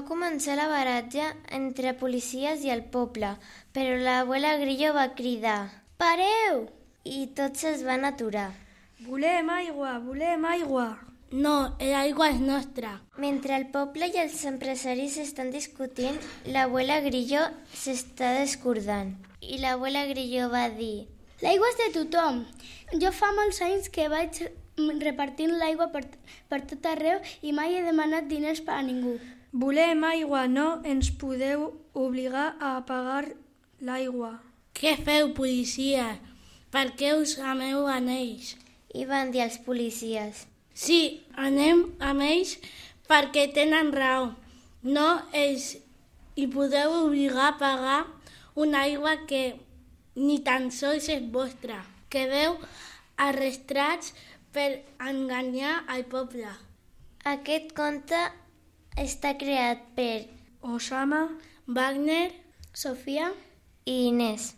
començar la baralla entre policies i el poble, però l'abuela Grillo va cridar «Pareu!» i tots es van aturar. Volem aigua, volem aigua. No, l'aigua és nostra. Mentre el poble i els empresaris estan discutint, l'abuela Grillo s'està descordant. I l'abuela Grillo va dir L'aigua és de tothom. Jo fa molts anys que vaig repartint l'aigua per tot arreu i mai he demanat diners per a ningú. Volem aigua, no ens podeu obligar a pagar l'aigua. Què feu, policia? Per què us ameu amb ells? I van dir els policies. Sí, anem amb ells perquè tenen raó. No ells hi podeu obligar a pagar una aigua que ni tan sols és vostra. Quedeu arrestats per enganyar el poble. Aquest conte està creat per Osama, Wagner, Sofia i Inés.